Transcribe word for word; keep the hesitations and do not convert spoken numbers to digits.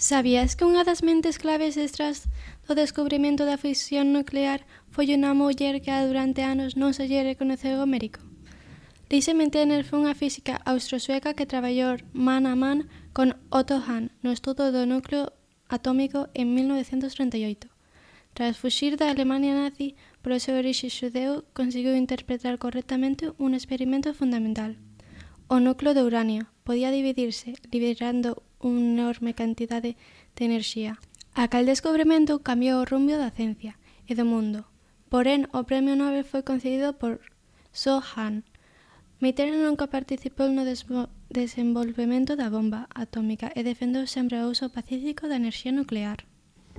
Sabías que unha das mentes claves detrás do descubrimento da fisión nuclear foi unha muller que durante anos non se lle reconeceu o mérito? Lise Meitner foi unha física austro-sueca que traballou man a man con Otto Hahn no estudo do núcleo atómico en mil novecentos trinta e oito. Tras fuxir da Alemania nazi polo seu orixe xudeu, conseguiu interpretar correctamente un experimento fundamental. O núcleo de uranio podía dividirse, liberando unha enorme cantidade de enerxía. Aquel descubrimento cambiou o rumbo da ciencia e do mundo. Porén, o premio Nobel foi concedido por só Hahn. Meitner nunca participou no desenvolvemento da bomba atómica e defendeu sempre o uso pacífico da enerxía nuclear.